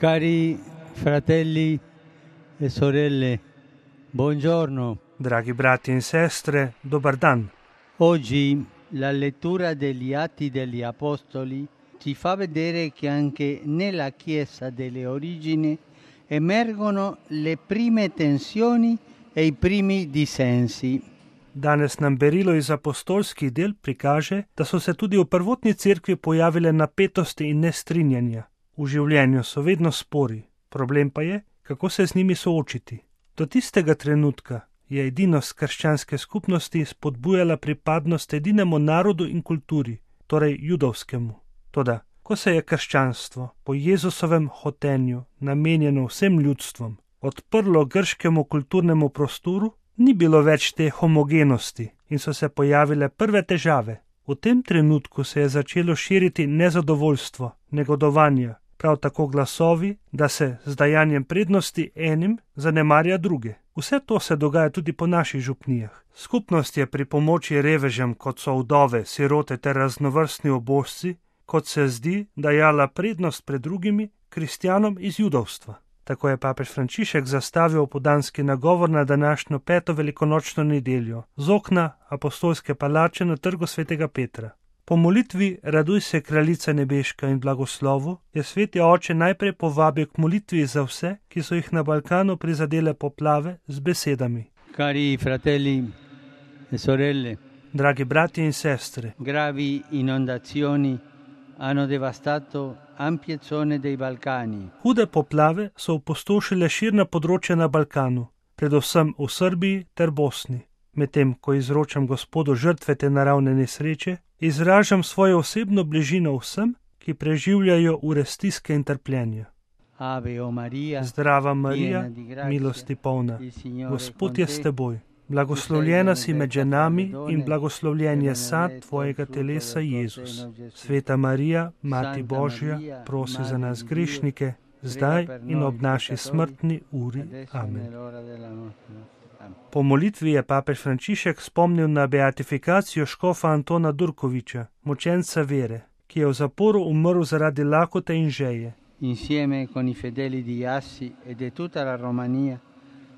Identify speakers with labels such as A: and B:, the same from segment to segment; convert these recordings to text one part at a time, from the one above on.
A: Cari fratelli e sorelle, buongiorno.
B: Dragi brati in sestre, dobar dan.
A: Oggi la lettura degli Atti degli Apostoli ci fa vedere che anche nella Chiesa delle origini emergono le prime tensioni e i primi dissensi.
B: Danes nam berilo iz apostolskih del prikaže, da so se tudi v prvotni cerkvi pojavile napetosti in nestrinjanja. V življenju so vedno spori, problem pa je, kako se z njimi soočiti. Do tistega trenutka je edinost krščanske skupnosti spodbujala pripadnost edinemu narodu in kulturi, torej judovskemu. Toda, ko se je krščanstvo po Jezusovem hotenju namenjeno vsem ljudstvom odprlo grškemu kulturnemu prostoru, ni bilo več te homogenosti in so se pojavile prve težave. V tem trenutku se je začelo širiti nezadovoljstvo, negodovanja, prav tako glasovi, da se z dajanjem prednosti enim zanemarja druge. Vse to se dogaja tudi po naših župnijah. Skupnost je pri pomoči revežem, kot so vdove, sirote ter raznovrstni ubožci, kot se zdi, dajala prednost pred drugimi kristjanom iz judovstva. Tako je papež Frančišek zastavil opoldanski nagovor na današnjo 5. velikonočno nedeljo z okna apostolske palače na trgu svetega Petra. Po molitvi Raduj se, kraljica nebeška in blagoslovu je sveti oče najprej povabil k molitvi za vse, ki so jih na Balkanu prizadele poplave, z besedami:
A: Cari fratelli e sorelle,
B: dragi brati in sestre,
A: gravi inondazioni hanno devastato ampie zone dei Balcani.
B: Hude poplave so opustošile širna področja na Balkanu, predvsem v Srbiji ter Bosni. Medtem ko izročam Gospodu žrtve te naravne nesreče, izražam svojo osebno bližino vsem, ki preživljajo ure stiske in trpljenja.
A: Ave o Maria,
B: Zdrava Marija, milosti polna, Gospod je s teboj. Blagoslovljena si med ženami in blagoslovljen je sad tvojega telesa, Jezus. Sveta Marija, Mati Božja, prosi za nas grešnike, zdaj in ob naši smrtni uri. Amen. Po molitvi je papež Frančišek spomnil na beatifikacijo škofa Antona Durkoviča, mučenca vere, ki je v zaporu umrl zaradi lakote in žeje.
A: Insieme con i fedeli di Assi e di tutta la Romania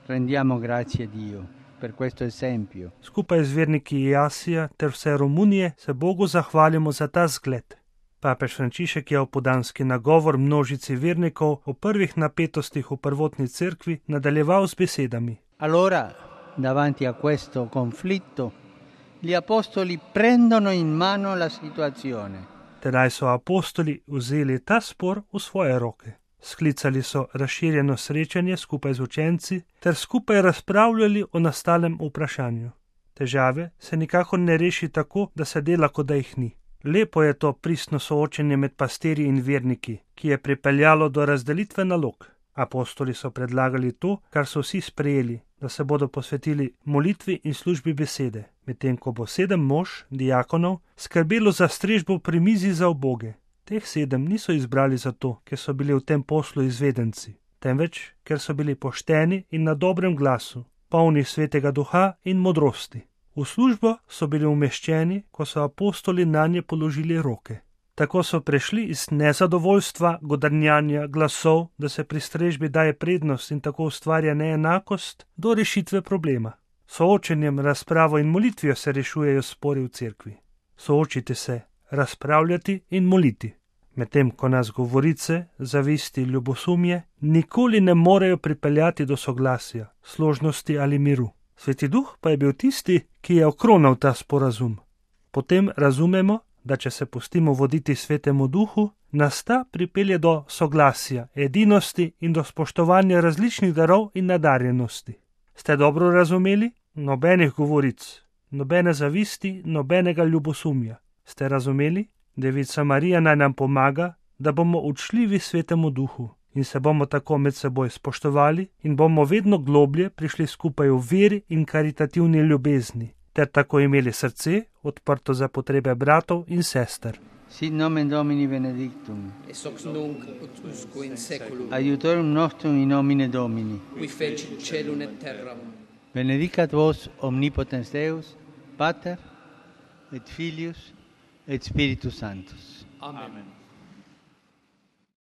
A: rendiamo grazie a Dio per questo esempio.
B: Skupaj z verniki Jasija ter vse Romunije se Bogu zahvalimo za ta zgled. Papež Frančišek je opoldanski nagovor množici vernikov o prvih napetostih v prvotni cerkvi nadaljeval z besedami:
A: Allora, davanti a questo conflitto, gli apostoli prendono in mano la situazione.
B: Tedaj so apostoli vzeli ta spor v svoje roke. Sklicali so razširjeno srečanje skupaj z učenci ter skupaj razpravljali o nastalem vprašanju. Težave se nikakor ne reši tako, da se dela, kot da jih ni. Lepo je to pristno soočenje med pastirji in verniki, ki je pripeljalo do razdelitve nalog. Apostoli so predlagali to, kar so vsi sprejeli, da se bodo posvetili molitvi in službi besede, medtem ko bo 7 mož, diakonov, skrbelo za strežbo pri mizi za uboge. Teh 7 niso izbrali zato, ker so bili v tem poslu izvedenci, temveč, ker so bili pošteni in na dobrem glasu, polni svetega duha in modrosti. V službo so bili umeščeni, ko so apostoli nanje položili roke. Tako so prešli iz nezadovoljstva, godrnjanja, glasov, da se pri strežbi daje prednost in tako ustvarja neenakost, do rešitve problema. Soočenjem, razpravo in molitvijo se rešujejo spori v cerkvi. Soočite se, razpravljati in moliti. Medtem ko nas govorice, zavisti, ljubosumje nikoli ne morejo pripeljati do soglasja, složnosti ali miru. Sveti duh pa je bil tisti, ki je okronal ta sporazum. Potem razumemo, da če se pustimo voditi svetemu duhu, nas ta pripelje do soglasja, edinosti in do spoštovanja različnih darov in nadarjenosti. Ste dobro razumeli? Nobenih govoric, nobene zavisti, nobenega ljubosumja. Ste razumeli? Devica Marija naj nam pomaga, da bomo učljivi svetemu duhu in se bomo tako med seboj spoštovali in bomo vedno globlje prišli skupaj v veri in karitativni ljubezni, ter tako imeli srce odprto za potrebe bratov in sester.
A: Sit nomen Domini benedictum.
C: Ex hoc nunc ut usque in saeculum.
A: Aiutorium nostrum in nomine Domini.
C: Qui fecit caelum et terram.
A: Benedicat vos omnipotens Deus, Pater et Filius et Spiritus Sanctus.
C: Amen.